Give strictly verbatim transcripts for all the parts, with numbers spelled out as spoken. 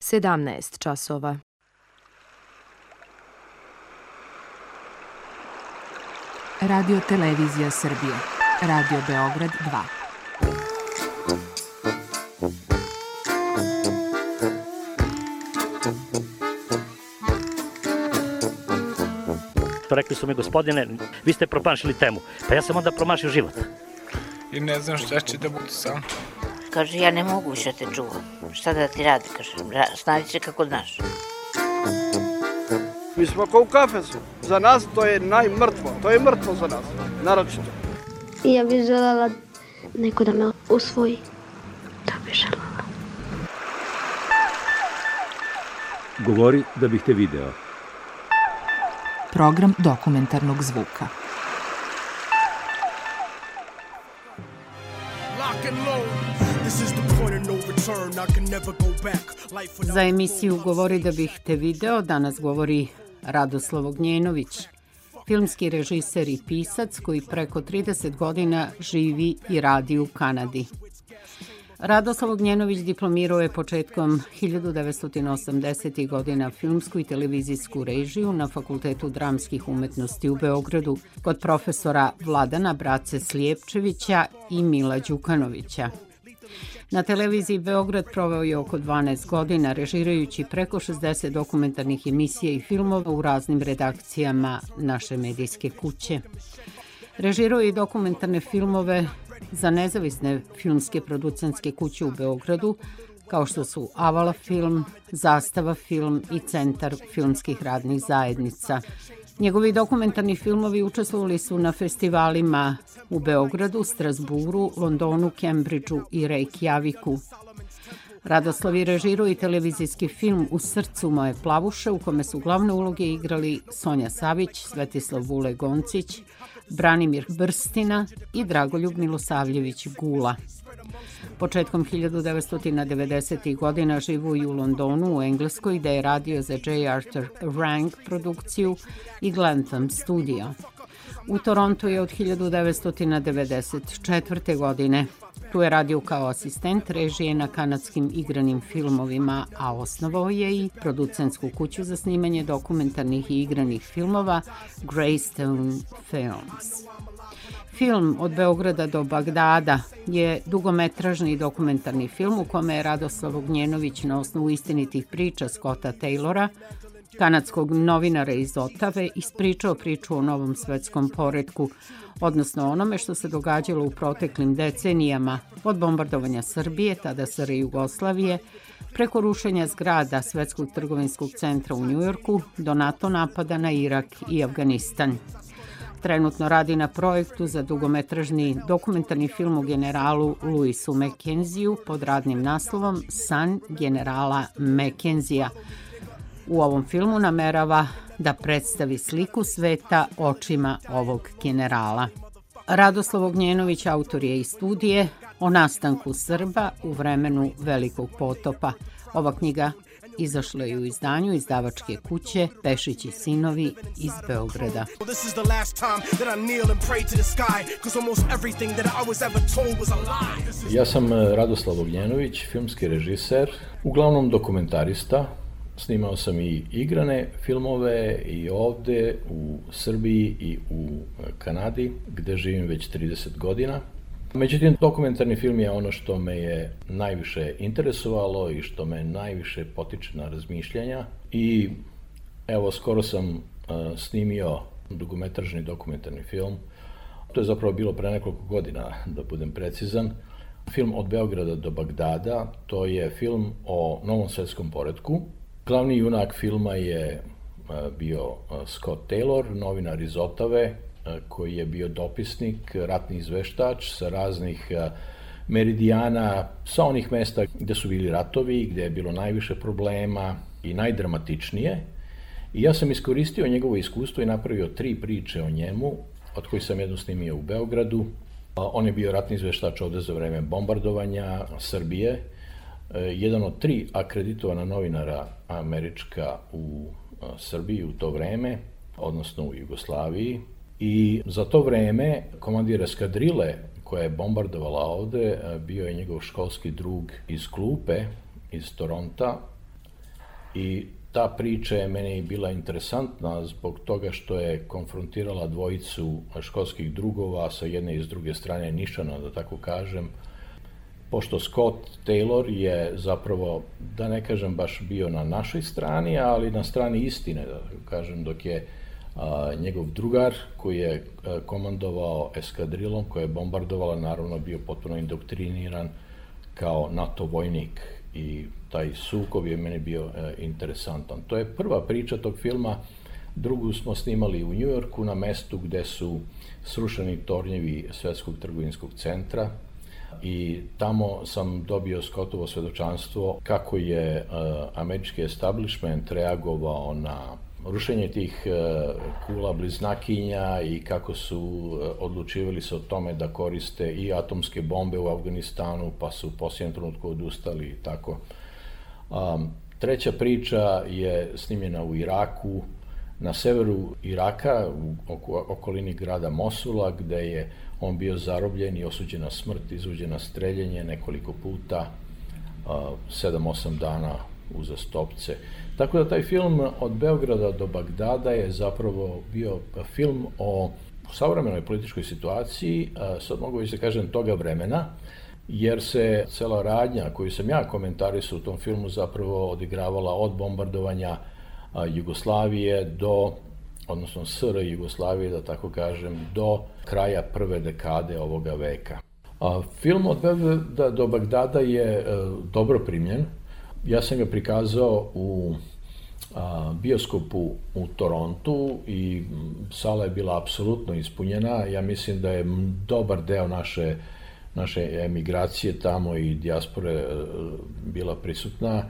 sedamnaest časova. Radio Televizija Srbije. Radio Beograd dva. Rekli su mi, gospodine, vi ste promašili temu. Pa ja sam onda promašio život. I ne znam šta će da bude sam. Kaže, ja ne mogu više te čuvam. Šta da ti radi, kaže, snađi se kako znaš. Mi smo kao u kafesu. Za nas to je najmrtvo. To je mrtvo za nas, naročito. Ja bih želela neko da me usvoji. To bih želela. Govori da bih te video. Program dokumentarnog zvuka. Za emisiju Govori da bih te video danas govori Radoslav Ognjenović, filmski režiser i pisac koji preko trideset godina živi i radi u Kanadi. Radoslav Ognjenović diplomirao je početkom hiljadu devetsto osamdesetih godina filmsku i televizijsku režiju na Fakultetu dramskih umetnosti u Beogradu kod profesora Vladana Brace Slijepčevića i Mila Đukanovića. Na televiziji Beograd proveo je oko dvanaest godina režirajući preko šezdeset dokumentarnih emisija i filmova u raznim redakcijama naše medijske kuće. Režirao je i dokumentarne filmove za nezavisne filmske producentske kuće u Beogradu, kao što su Avala film, Zastava film i Centar filmskih radnih zajednica. Njegovi dokumentarni filmovi učestvovali su na festivalima u Beogradu, Strasburu, Londonu, Kembridžu i Reykjaviku. Radoslav je režirao i televizijski film U srcu moje plavuše, u kome su glavne uloge igrali Sonja Savić, Svetislav Vule Goncić, Branimir Brstina i Dragoljub Milosavljević Gula. Početkom hiljadu devetsto devedesetih godina živi u Londonu u Engleskoj, gde je radio za J. Arthur Rank produkciju i Glentham studio. U Torontu je od hiljadu devetsto devedeset četvrte. godine. Tu je radio kao asistent režije na kanadskim igranim filmovima, a osnovao je i producentsku kuću za snimanje dokumentarnih i igranih filmova Greystone Films. Film Od Beograda do Bagdada je dugometražni dokumentarni film u kome je Radoslav Ognjenović na osnovu istinitih priča Scotta Taylora, kanadskog novinara iz Otave, ispričao priču o novom svetskom poretku, odnosno onome što se događalo u proteklim decenijama, od bombardovanja Srbije, tada S R Jugoslavije, preko rušenja zgrada Svetskog trgovinskog centra u Njujorku, do NATO napada na Irak i Afganistan. Trenutno radi na projektu za dugometražni dokumentarni film o generalu Louisu Mackenziju pod radnim naslovom San generala Mackenzija. U ovom filmu namerava da predstavi sliku sveta očima ovog generala. Radoslav Ognjenović autor je i studije o nastanku Srba u vremenu Velikog potopa. Ova knjiga izašla je u izdanju izdavačke kuće Pešić i sinovi iz Beograda. Ja sam Radoslav Ognjenović, filmski režiser, uglavnom dokumentarista. Snimao sam i igrane filmove i ovde u Srbiji i u Kanadi, gde živim već trideset godina. Međutim, dokumentarni film je ono što me je najviše interesovalo i što me najviše potiče na razmišljanja. I evo, skoro sam uh, snimio dugometražni dokumentarni film. To je zapravo bilo pre nekoliko godina, da budem precizan. Film Od Beograda do Bagdada, to je film o novom svetskom poretku. Glavni junak filma je uh, bio uh, Scott Taylor, novinar iz Otave, koji je bio dopisnik, ratni izveštač sa raznih meridijana, sa onih mesta gde su bili ratovi, gde je bilo najviše problema i najdramatičnije. I ja sam iskoristio njegovo iskustvo i napravio tri priče o njemu, od kojih sam jednu snimio u Beogradu. On je bio ratni izveštač ovde za vreme bombardovanja Srbije, jedan od tri akreditovana novinara američka u Srbiji u to vreme, odnosno u Jugoslaviji. I za to vreme komandir eskadrile koja je bombardovala ovde bio je njegov školski drug iz klupe, iz Toronta. i ta priča je meni bila interesantna zbog toga što je konfrontirala dvojicu školskih drugova sa jedne i s druge strane nišana, da tako kažem. Pošto Scott Taylor je zapravo, da ne kažem baš bio na našoj strani, ali na strani istine, da tako kažem, dok je a, njegov drugar koji je a, komandovao eskadrilom koja je bombardovala, naravno bio potpuno indoktriniran kao NATO vojnik i taj sukob je meni bio e, interesantan. To je prva priča tog filma. Drugu smo snimali u Njujorku na mestu gde su srušeni tornjevi Svetskog trgovinskog centra i tamo sam dobio Scottovo svedočanstvo kako je e, američki establishment reagovao na rušenje tih e, kula bliznakinja i kako su e, odlučivali se o tome da koriste i atomske bombe u Afganistanu, pa su u posljednjem trenutku odustali i tako. Um, treća priča je snimljena u Iraku, na severu Iraka, u oko, okolini grada Mosula, gde je on bio zarobljen i osuđen na smrt, izvođen na streljenje nekoliko puta, sedam osam dana uzastopce. Tako da taj film Od Beograda do Bagdada je zapravo bio film o savremenoj političkoj situaciji, sad mogu već da kažem toga vremena, jer se cela radnja koju sam ja komentarisao u tom filmu zapravo odigravala od bombardovanja Jugoslavije do, odnosno S R Jugoslavije, da tako kažem, do kraja prve dekade ovoga veka. A, film Od Beograda do Bagdada je e, dobro primljen. Ja sam ga prikazao u a, bioskopu u Torontu i sala je bila apsolutno ispunjena. Ja mislim da je dobar deo naše naše emigracije tamo i dijaspore e, bila prisutna.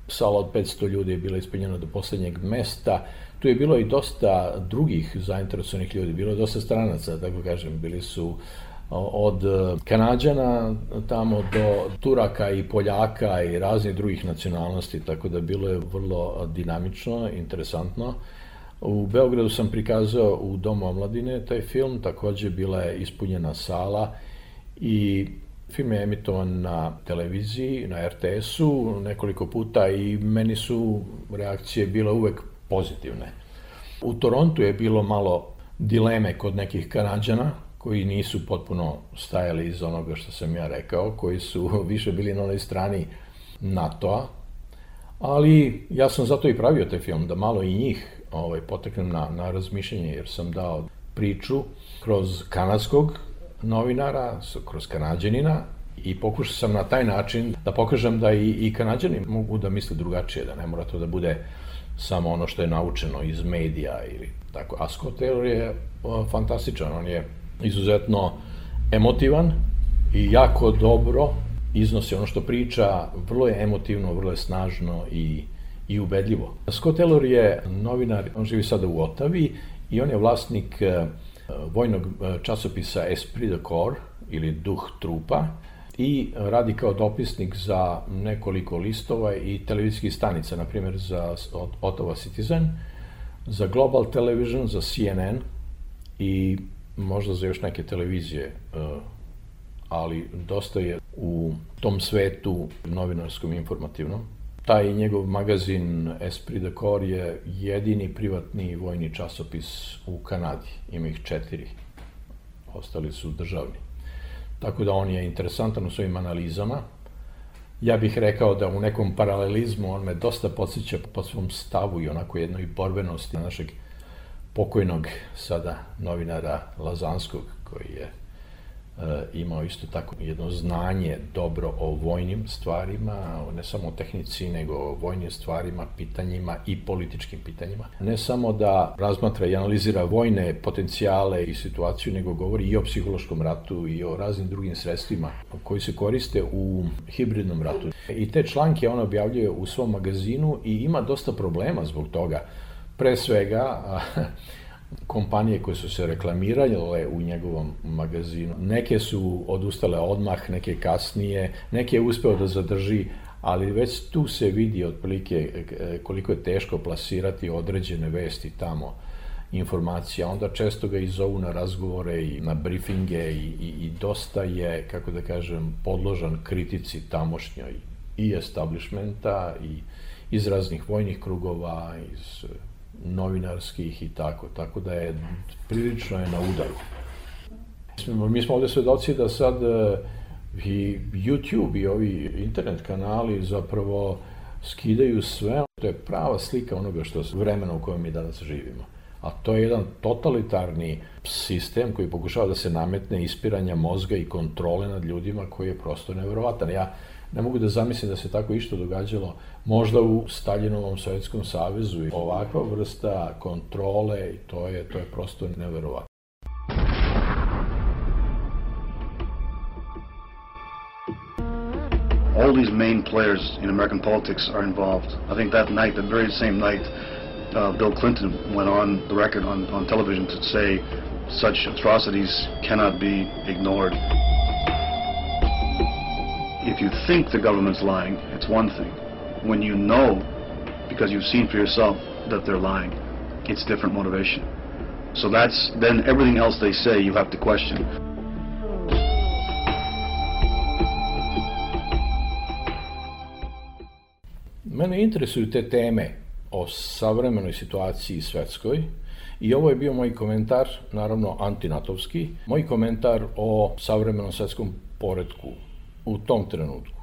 Sala od petsto ljudi je bila ispunjena do poslednjeg mesta. Tu je bilo i dosta drugih zainteresovanih ljudi, bilo je dosta stranaca, tako kažem, bili su od Kanađana tamo do Turaka i Poljaka i raznih drugih nacionalnosti, tako da bilo je vrlo dinamično, interesantno. U Beogradu sam prikazao u Domu omladine taj film, takođe bila je ispunjena sala i film je emitovan na televiziji, na R T S-u nekoliko puta i meni su reakcije bile uvek pozitivne. U Torontu je bilo malo dileme kod nekih Kanađana koji nisu potpuno stajali iz onoga što sam ja rekao, koji su više bili na onoj strani NATO-a, ali ja sam zato i pravio taj film, da malo i njih ovaj, poteknem na, na razmišljanje, jer sam dao priču kroz kanadskog novinara, kroz Kanađanina i pokušao sam na taj način da pokažem da i, i Kanađani mogu da misle drugačije, da ne mora to da bude samo ono što je naučeno iz medija ili tako. A Scott Taylor je o, fantastičan, on je izuzetno emotivan i jako dobro iznosi ono što priča, vrlo je emotivno, vrlo je snažno i, i ubedljivo. Scott Taylor je novinar, on živi sada u Otavi i on je vlasnik vojnog časopisa Esprit de Corps ili Duh trupa i radi kao dopisnik za nekoliko listova i televizijskih stanica, na primjer za Ottawa Citizen, za Global Television, za C N N i možda za još neke televizije, ali dosta je u tom svetu novinarskom informativnom. Taj njegov magazin Esprit de Corps je jedini privatni vojni časopis u Kanadi. Ima ih četiri. Ostali su državni. Tako da on je interesantan u svojim analizama. Ja bih rekao da u nekom paralelizmu on me dosta podsjeća po svom stavu i onako jednoj borbenosti našeg pokojnog sada novinara Lazanskog, koji je imao isto tako jedno znanje dobro o vojnim stvarima, ne samo o tehnici, nego o vojnim stvarima, pitanjima i političkim pitanjima. Ne samo da razmatra i analizira vojne potencijale i situaciju, nego govori i o psihološkom ratu i o raznim drugim sredstvima koji se koriste u hibridnom ratu. I te članke on objavljuje u svom magazinu i ima dosta problema zbog toga. Pre svega, kompanije koje su se reklamirale u njegovom magazinu, neke su odustale odmah, neke kasnije, neke je uspeo da zadrži, ali već tu se vidi otprilike koliko je teško plasirati određene vesti tamo, informacija. Onda često ga i zovu na razgovore i na briefinge i, i, i dosta je, kako da kažem, podložan kritici tamošnjoj i establishmenta i iz raznih vojnih krugova, iz novinarskih i tako, tako da je prilično je na udaru. Mi smo ovde svedoci da sad i YouTube i ovi internet kanali zapravo skidaju sve. To je prava slika onoga što je vremena u kojem mi danas živimo. A to je jedan totalitarni sistem koji pokušava da se nametne ispiranja mozga i kontrole nad ljudima koji je prosto neverovatan. Ja ne mogu da zamislim da se tako išto događalo možda u Staljinovom Sovjetskom savezu. Ovakva vrsta kontrole, to je, to je prosto neverovatno. All these main players in American politics are involved. I think that night, that very same night, uh, Bill Clinton went on the record on, on television to say such atrocities cannot be ignored. If you think the government's lying, it's one thing. When you know, because you've seen for yourself that they're lying, it's different motivation. So that's, then everything else they say you have to question. Mene interesuju te teme o savremenoj situaciji svetskoj i ovo je bio moj komentar, naravno antinatovski, moj komentar o savremenom svetskom poretku u tom trenutku.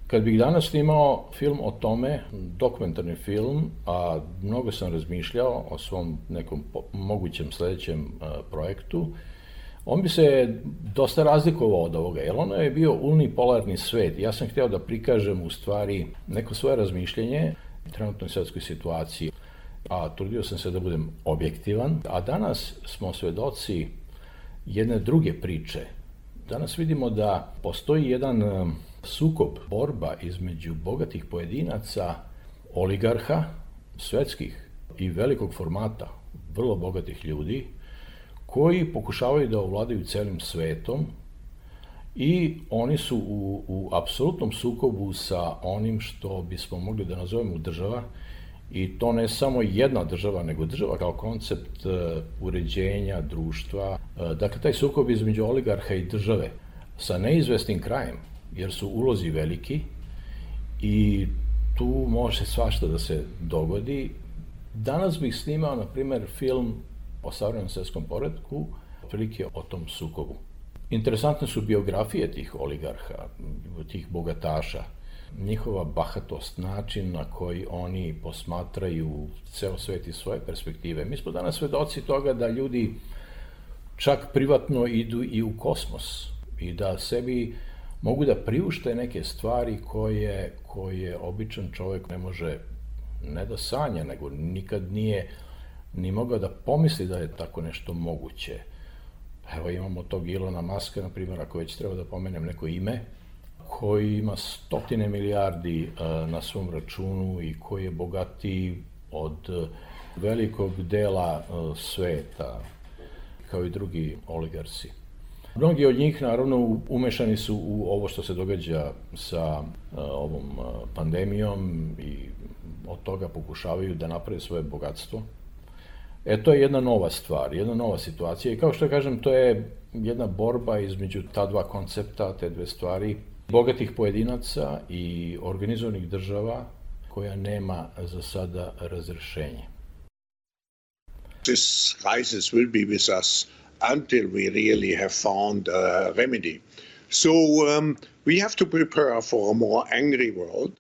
Kad bih danas snimao film o tome, dokumentarni film, a mnogo sam razmišljao o svom nekom mogućem sledećem projektu, on bi se dosta razlikovao od ovoga, jer ono je bio unipolarni svet. Ja sam hteo da prikažem u stvari neko svoje razmišljenje o trenutnoj svetskoj situaciji, a trudio sam se da budem objektivan. A danas smo svedoci jedne druge priče. Danas vidimo da postoji jedan sukob, borba između bogatih pojedinaca, oligarha, svetskih i velikog formata, vrlo bogatih ljudi, koji pokušavaju da ovladaju celim svetom i oni su u, u apsolutnom sukobu sa onim što bismo mogli da nazovemo država, i to ne samo jedna država, nego država kao koncept uređenja društva. Dakle, taj sukob između oligarha i države sa neizvesnim krajem, jer su ulozi veliki i tu može svašta da se dogodi. Danas bih snimao, na primer, film o savremenom svetskom poretku, otprilike o tom sukobu. Interesantne su biografije tih oligarha, tih bogataša, njihova bahatost, način na koji oni posmatraju ceo svet iz svoje perspektive. Mi smo danas svedoci toga da ljudi čak privatno idu i u kosmos i da sebi mogu da priušte neke stvari koje, koje običan čovjek ne može ne da sanja, nego nikad nije ni mogao da pomisli da je tako nešto moguće. Evo imamo tog Ilona Maska, na primjer, ako već treba da pomenem neko ime, koji ima stotine milijardi na svom računu i koji je bogatiji od velikog dela sveta, kao i drugi oligarsi. Mnogi od njih, naravno, umešani su u ovo što se događa sa ovom pandemijom i od toga pokušavaju da naprave svoje bogatstvo. E, to je jedna nova stvar, jedna nova situacija i kao što kažem, to je jedna borba između ta dva koncepta, te dve stvari, bogatih pojedinaca i organizovanih država koja nema za sada razrešenje. This crisis will be with us until we really have found a remedy. So um, we have to prepare for a more angry world.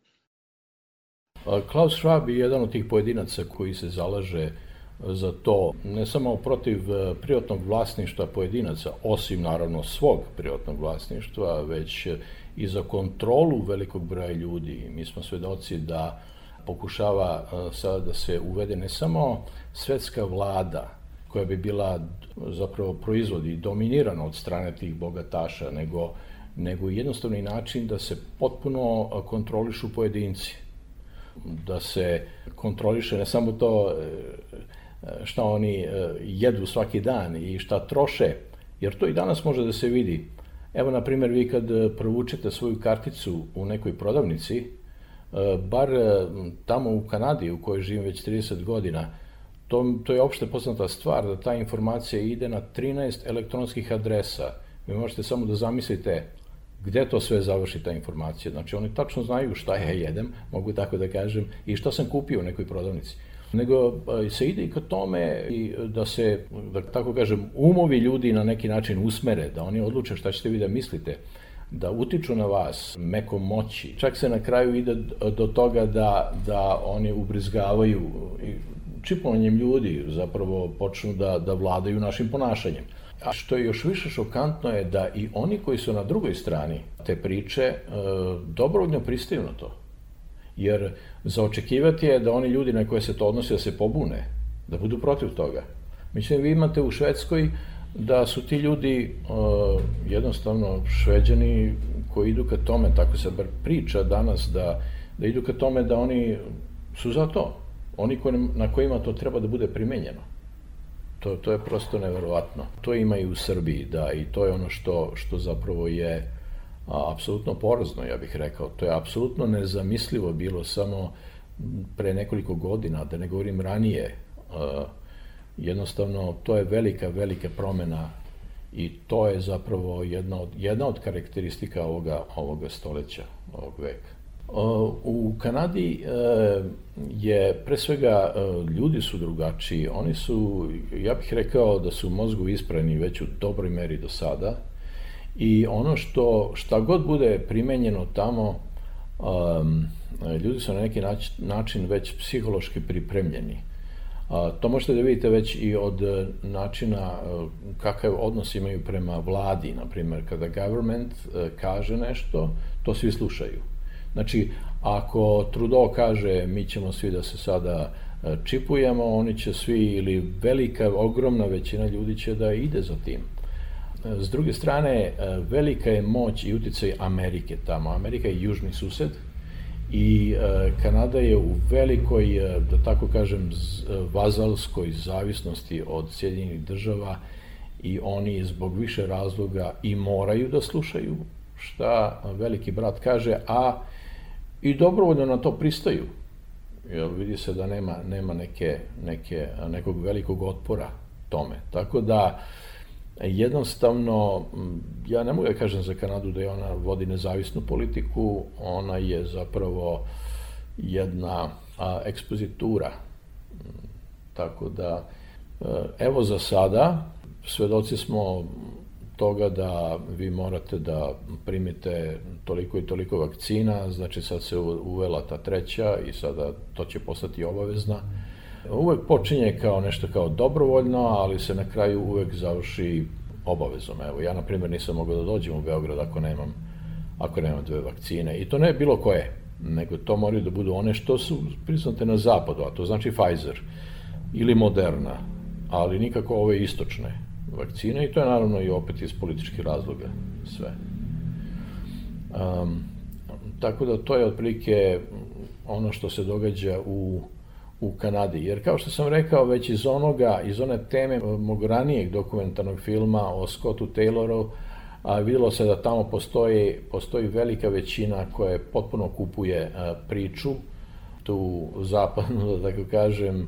Klaus Schwab je jedan od tih pojedinaca koji se zalaže za to, ne samo protiv privatnog vlasništva pojedinaca, osim naravno svog privatnog vlasništva, već i za kontrolu velikog broja ljudi. Mi smo svedoci da pokušava sada da se uvede ne samo svetska vlada, koja bi bila zapravo proizvod i dominirana od strane tih bogataša, nego, nego jednostavni način da se potpuno kontrolišu pojedinci. Da se kontroliše ne samo to šta oni jedu svaki dan i šta troše, jer to i danas može da se vidi. Evo, na primjer, vi kad provučete svoju karticu u nekoj prodavnici, bar tamo u Kanadi, u kojoj živim već trideset godina, to, to je opšte poznata stvar, da ta informacija ide na trinaest elektronskih adresa. Vi možete samo da zamislite gde to sve završi ta informacija. Znači, oni tačno znaju šta ja jedem, mogu tako da kažem, i šta sam kupio u nekoj prodavnici. Nego se ide i ka tome i da se, da tako kažem, umovi ljudi na neki način usmere, da oni odluče šta ćete vi da mislite, da utiču na vas mekom moći. Čak se na kraju ide do toga da, da oni ubrizgavaju i čipovanjem ljudi zapravo počnu da, da vladaju našim ponašanjem. A što je još više šokantno je da i oni koji su na drugoj strani te priče e, dobrovoljno pristaju na to. Jer za očekivati je da oni ljudi na koje se to odnosi da se pobune, da budu protiv toga. Mislim, vi imate u Švedskoj da su ti ljudi uh, jednostavno Šveđani koji idu ka tome, tako se bar priča danas, da, da idu ka tome da oni su za to. Oni koji, na kojima to treba da bude primenjeno. To, to je prosto neverovatno. To ima i u Srbiji, da, i to je ono što, što zapravo je a, apsolutno porazno, ja bih rekao. To je apsolutno nezamislivo bilo samo pre nekoliko godina, da ne govorim ranije. A, jednostavno, to je velika, velika promena i to je zapravo jedna od, jedna od karakteristika ovoga, ovoga stoleća, ovog veka. U Kanadi je, pre svega, ljudi su drugačiji. Oni su, ja bih rekao da su mozgovi ispravni već u dobroj meri do sada i ono što, šta god bude primenjeno tamo, ljudi su na neki način već psihološki pripremljeni. To možete da vidite već i od načina kakav odnos imaju prema vladi, na primjer, kada government kaže nešto, to svi slušaju. Znači, ako Trudeau kaže mi ćemo svi da se sada čipujemo, oni će svi, ili velika, ogromna većina ljudi će da ide za tim. S druge strane, velika je moć i uticaj Amerike tamo. Amerika je južni sused i Kanada je u velikoj, da tako kažem, vazalskoj zavisnosti od Sjedinjenih država i oni zbog više razloga i moraju da slušaju šta veliki brat kaže, a i dobrovoljno na to pristaju. Jer vidi se da nema, nema neke, neke, nekog velikog otpora tome. Tako da, jednostavno, ja ne mogu da kažem za Kanadu da je ona vodi nezavisnu politiku, ona je zapravo jedna a, ekspozitura. Tako da, evo za sada, svedoci smo toga da vi morate da primite toliko i toliko vakcina, znači sad se uvela ta treća i sada to će postati obavezna. Uvek počinje kao nešto kao dobrovoljno, ali se na kraju uvek završi obavezom. Evo, ja na primjer nisam mogao da dođem u Beograd ako nemam, ako nemam dve vakcine. I to ne bilo koje, nego to moraju da budu one što su priznate na zapadu, a to znači Pfizer ili Moderna, ali nikako ove istočne vakcine i to je naravno i opet iz političkih razloga sve. Um, tako da to je otprilike ono što se događa u, u Kanadi. Jer kao što sam rekao, već iz onoga, iz one teme mog ranijeg dokumentarnog filma o Scottu Tayloru, a videlo se da tamo postoji, postoji velika većina koja potpuno kupuje a, priču, tu zapadnu, da tako kažem,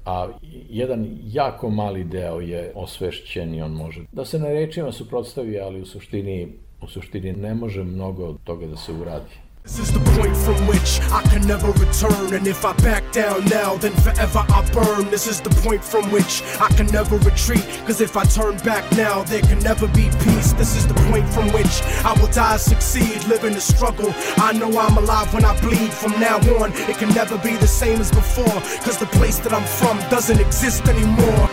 a jedan jako mali deo je osvešćen i on može da se na rečima suprotstavi, ali u suštini, u suštini ne može mnogo toga da se uradi. This is the point from which I can never return, and if I back down now, then forever I burn. This is the point from which I can never retreat, cause if I turn back now, there can never be peace. This is the point from which I will die, succeed, live in the struggle. I know I'm alive when I bleed. From now on, it can never be the same as before, cause the place that I'm from doesn't exist anymore.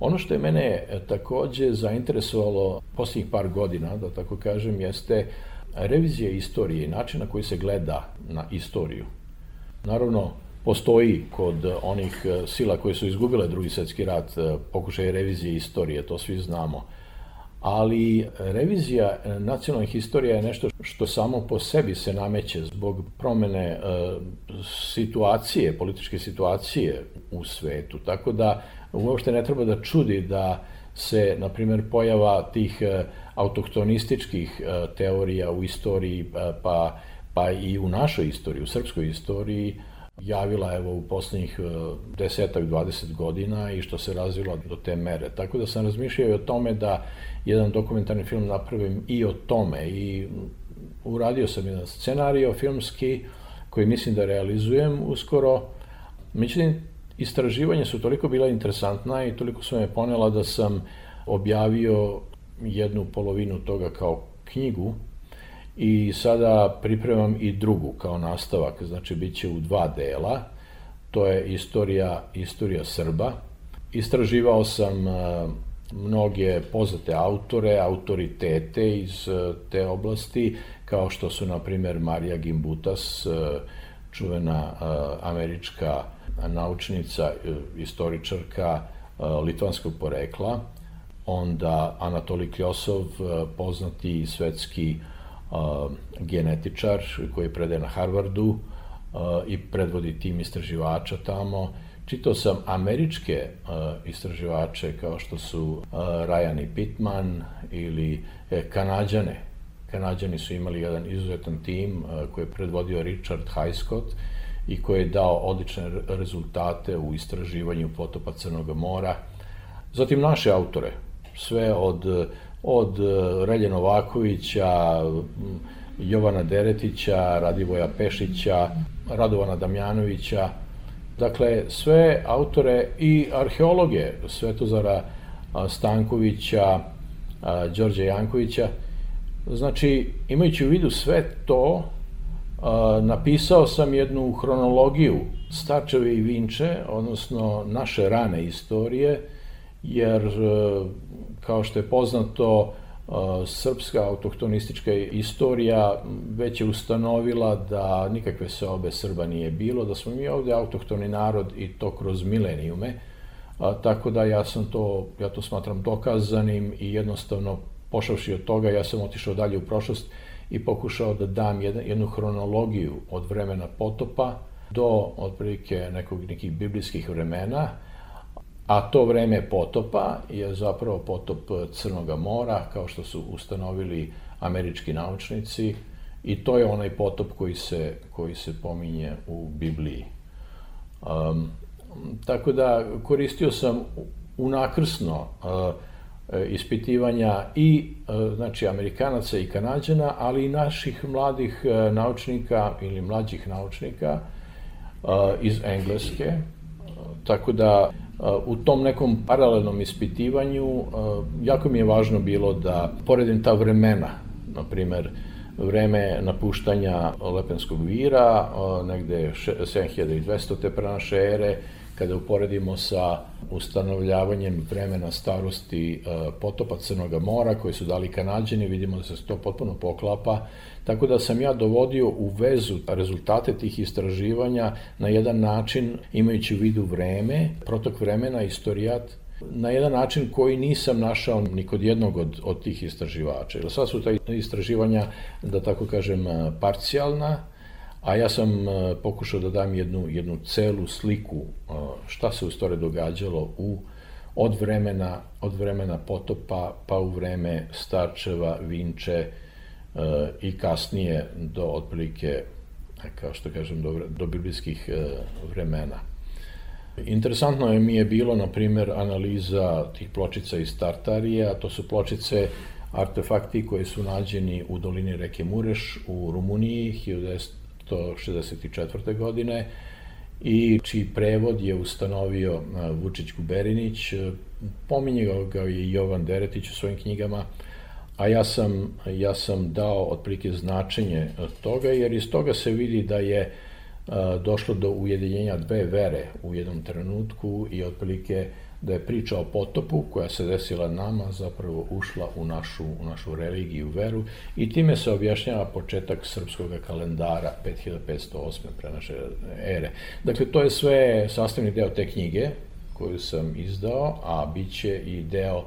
Ono što je mene takođe zainteresovalo posljednjih par godina, da tako kažem, jeste revizija istorije i način na koji se gleda na istoriju. Naravno, postoji kod onih sila koje su izgubile Drugi svjetski rat pokušaj revizije istorije, to svi znamo. Ali revizija nacionalnih istorija je nešto što samo po sebi se nameće zbog promene situacije, političke situacije u svetu. Tako da uopšte ne treba da čudi da se, na primjer, pojava tih autohtonističkih teorija u istoriji, pa, pa i u našoj istoriji, u srpskoj istoriji, javila evo u poslednjih desetak, dvadeset godina i što se razvila do te mere. Tako da sam razmišljao i o tome da jedan dokumentarni film napravim i o tome i uradio sam jedan scenario filmski koji mislim da realizujem uskoro. Međutim, istraživanja su toliko bila interesantna i toliko su me ponela da sam objavio jednu polovinu toga kao knjigu i sada pripremam i drugu kao nastavak, znači bit će u dva dela. To je istorija, istorija Srba. Istraživao sam mnoge poznate autore, autoritete iz te oblasti, kao što su, na primer, Marija Gimbutas, čuvena američka naučnica, istoričarka litvanskog porekla, onda Anatolij Kljosov, poznati svetski genetičar koji predaje na Harvardu i predvodi tim istraživača tamo. Čitao sam američke istraživače kao što su Ryan i Pittman ili Kanađane. Kanađani su imali jedan izuzetan tim koji je predvodio Richard Highscott i koji je dao odlične rezultate u istraživanju potopa Crnog mora. Zatim naše autore, sve od, od Relje Novakovića, Jovana Deretića, Radivoja Pešića, Radovana Damjanovića, dakle sve autore i arheologe, Svetozara Stankovića, Đorđe Jankovića. Znači, imajući u vidu sve to, napisao sam jednu hronologiju Starčeve i Vinče, odnosno naše rane istorije, jer, kao što je poznato, srpska autohtonistička istorija već je ustanovila da nikakve seobe Srba nije bilo, da smo mi ovde autohtoni narod i to kroz milenijume, tako da ja sam to, ja to smatram dokazanim i jednostavno pošavši od toga, ja sam otišao dalje u prošlost i pokušao da dam jednu hronologiju od vremena potopa do otprilike nekog nekih biblijskih vremena, a to vreme potopa je zapravo potop Crnoga mora, kao što su ustanovili američki naučnici, i to je onaj potop koji se, koji se pominje u Bibliji. Um, tako da koristio sam unakrsno uh, ispitivanja i znači Amerikanaca i Kanađana, ali i naših mladih naučnika ili mlađih naučnika iz Engleske. Tako da u tom nekom paralelnom ispitivanju jako mi je važno bilo da poredim ta vremena, na primer vreme napuštanja Lepenskog vira, negde sedam hiljada dvesta pre naše ere, kada uporedimo sa ustanovljavanjem vremena starosti potopa Crnoga mora, koji su dali Kanađani, vidimo da se to potpuno poklapa. Tako da sam ja dovodio u vezu rezultate tih istraživanja na jedan način, imajući u vidu vreme, protok vremena, istorijat, na jedan način koji nisam našao ni kod jednog od, od tih istraživača. Jer sad su ta istraživanja, da tako kažem, parcijalna, a ja sam pokušao da dam jednu, jednu celu sliku šta se u stvari događalo u, od, vremena, od vremena potopa pa u vreme Starčeva, Vinče i kasnije do otprilike, kao što kažem, do, do biblijskih vremena. Interesantno je mi je bilo, na primer, analiza tih pločica iz Tartarije, a to su pločice, artefakti koji su nađeni u dolini reke Mureš u Rumuniji hiljadu devetsto šezdeset četvrte. godine i čiji prevod je ustanovio Vučić Guberinić. Pominje ga i Jovan Deretić u svojim knjigama, a ja sam, ja sam dao otprilike značenje toga, jer iz toga se vidi da je došlo do ujedinjenja dve vere u jednom trenutku i otprilike da je priča o potopu koja se desila nama zapravo ušla u našu, u našu religiju, veru, i time se objašnjava početak srpskog kalendara pet hiljada petsto osme. pre naše ere. Dakle, to je sve sastavni deo te knjige koju sam izdao, a bit će i deo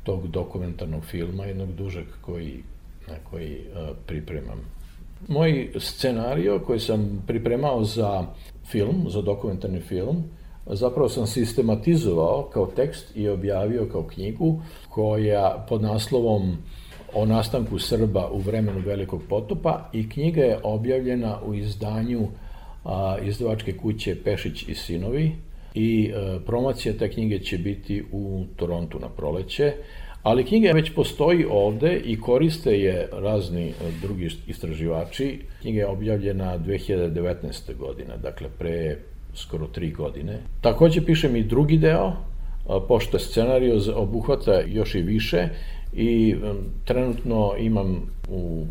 tog dokumentarnog filma, jednog dužeg koji, na koji uh, pripremam. Moj scenario koji sam pripremao za film, za dokumentarni film, zapravo sam sistematizovao kao tekst i objavio kao knjigu koja pod naslovom O nastanku Srba u vremenu Velikog potopa, i knjiga je objavljena u izdanju a, izdavačke kuće Pešić i sinovi i a, promocija te knjige će biti u Torontu na proleće, ali knjiga već postoji ovde i koriste je razni drugi istraživači. Knjiga je objavljena dve hiljade devetnaeste. godine, dakle pre skoro tri godine. Takođe pišem i drugi deo, pošto scenariju obuhvata još i više i trenutno imam u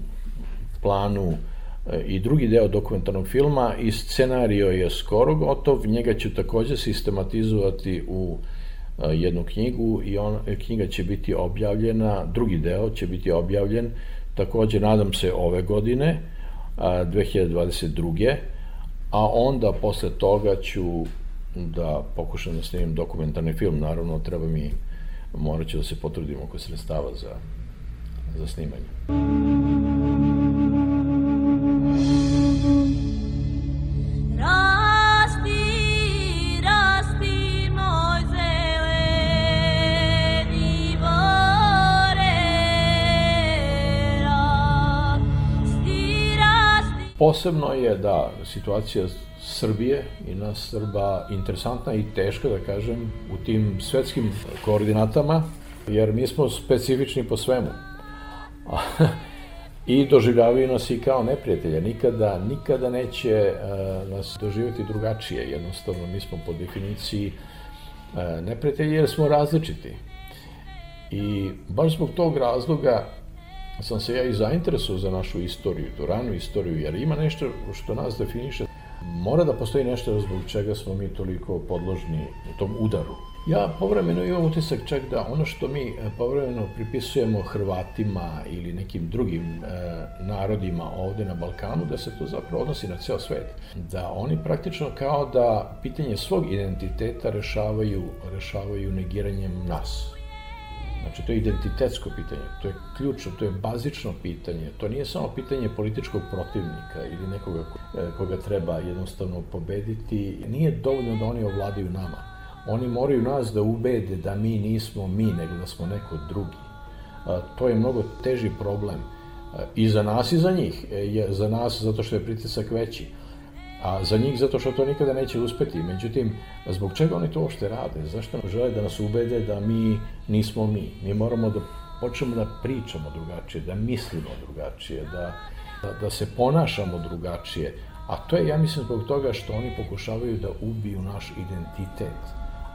planu i drugi deo dokumentarnog filma i scenario je skoro gotov, njega ću takođe sistematizovati u jednu knjigu i on, knjiga će biti objavljena, drugi deo će biti objavljen takođe, nadam se, ove godine, dve hiljade dvadeset druge. A onda posle toga ću da pokušam da snimim dokumentarni film, naravno treba mi, morat ću da se potrudim oko sredstava za, za snimanje. Posebno je da situacija Srbije i nas Srba interesantna i teška, da kažem, u tim svetskim koordinatama, jer mi smo specifični po svemu. I doživljavaju nas i kao neprijatelja. Nikada, nikada neće uh, nas doživjeti drugačije. Jednostavno, mi smo po definiciji uh, neprijatelji jer smo različiti. I baš zbog tog razloga sam se ja i zainteresuo za našu istoriju, tu ranu istoriju, jer ima nešto što nas definiše. Mora da postoji nešto zbog čega smo mi toliko podložni u tom udaru. Ja povremeno imam utisak čak da ono što mi povremeno pripisujemo Hrvatima ili nekim drugim e, narodima ovde na Balkanu, da se to zapravo odnosi na ceo svet. Da oni praktično kao da pitanje svog identiteta rešavaju, rešavaju negiranjem nas. Znači, to je identitetsko pitanje, to je ključno, to je bazično pitanje, to nije samo pitanje političkog protivnika ili nekoga koga treba jednostavno pobediti. Nije dovoljno da oni ovladaju nama. Oni moraju nas da ubede da mi nismo mi, nego da smo neko drugi. To je mnogo teži problem. I za nas i za njih. Za nas zato što je pritisak veći. A za njih zato što to nikada neće uspeti. Međutim, zbog čega oni to uopšte rade? Zašto žele da nas ubede da mi nismo mi? Mi moramo da počnemo da pričamo drugačije, da mislimo drugačije, da, da, da se ponašamo drugačije. A to je, ja mislim, zbog toga što oni pokušavaju da ubiju naš identitet.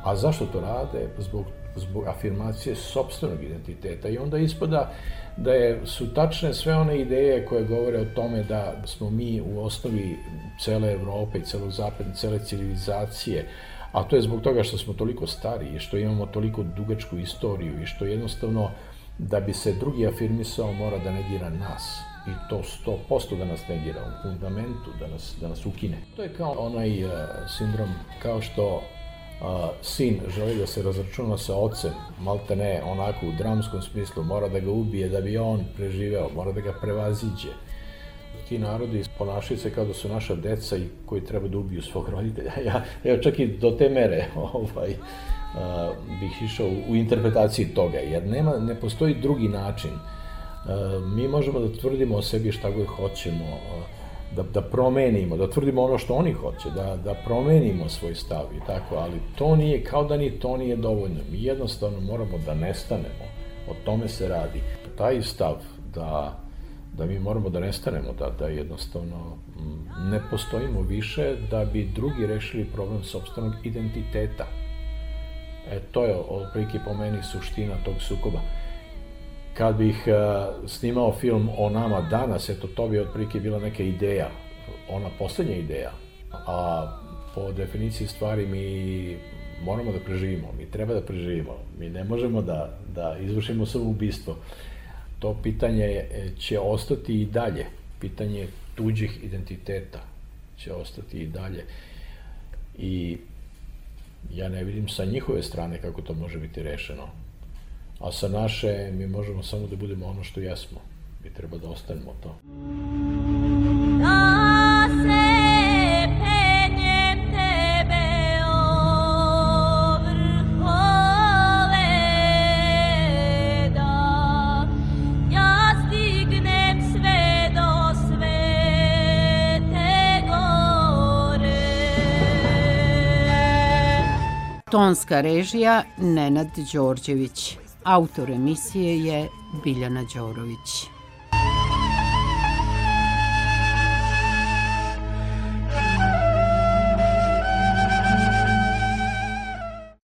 A zašto to rade? Zbog, zbog afirmacije sopstvenog identiteta. I onda ispada da je, su tačne sve one ideje koje govore o tome da smo mi u osnovi cele Evrope i celog zapada, cele civilizacije, a to je zbog toga što smo toliko stari i što imamo toliko dugačku istoriju i što jednostavno da bi se drugi afirmisao mora da negira nas. I to sto posto da nas negira u fundamentu, da nas, da nas ukine. To je kao onaj uh, sindrom, kao što Uh, sin želi da se razračuna sa ocem, malte ne, onako u dramskom smislu, mora da ga ubije da bi on preživeo, mora da ga prevaziđe. Ti narodi ponašaju se kao da su naša deca i koji treba da ubiju svog roditelja. Ja, ja čak i do te mere ovaj, uh, bih išao u, u interpretaciji toga, jer nema, ne postoji drugi način. Uh, mi možemo da tvrdimo o sebi šta god hoćemo, uh, Da, da promenimo, da tvrdimo ono što oni hoće, da, da promenimo svoj stav i tako, ali to nije, kao da ni to nije dovoljno. Mi jednostavno moramo da nestanemo, o tome se radi. Taj stav da, da mi moramo da nestanemo, da, da jednostavno ne postojimo više da bi drugi rešili problem sopstvenog identiteta. E, to je otprilike po meni suština tog sukoba. Kad bih uh, snimao film o nama danas, eto, to bi otprilike bila neka ideja, ona poslednja ideja, a po definiciji stvari mi moramo da preživimo, mi treba da preživimo, mi ne možemo da, da izvršimo samoubistvo. To pitanje će ostati i dalje, pitanje tuđih identiteta će ostati i dalje. I ja ne vidim sa njihove strane kako to može biti rešeno. A sa naše, mi možemo samo da budemo ono što jesmo. Mi treba da ostanemo to. Da se penjem tebe o vrhove, da ja stignem sve do svete gore. Tonska režija Nenad Đorđević. Autor emisije je Biljana Đorović.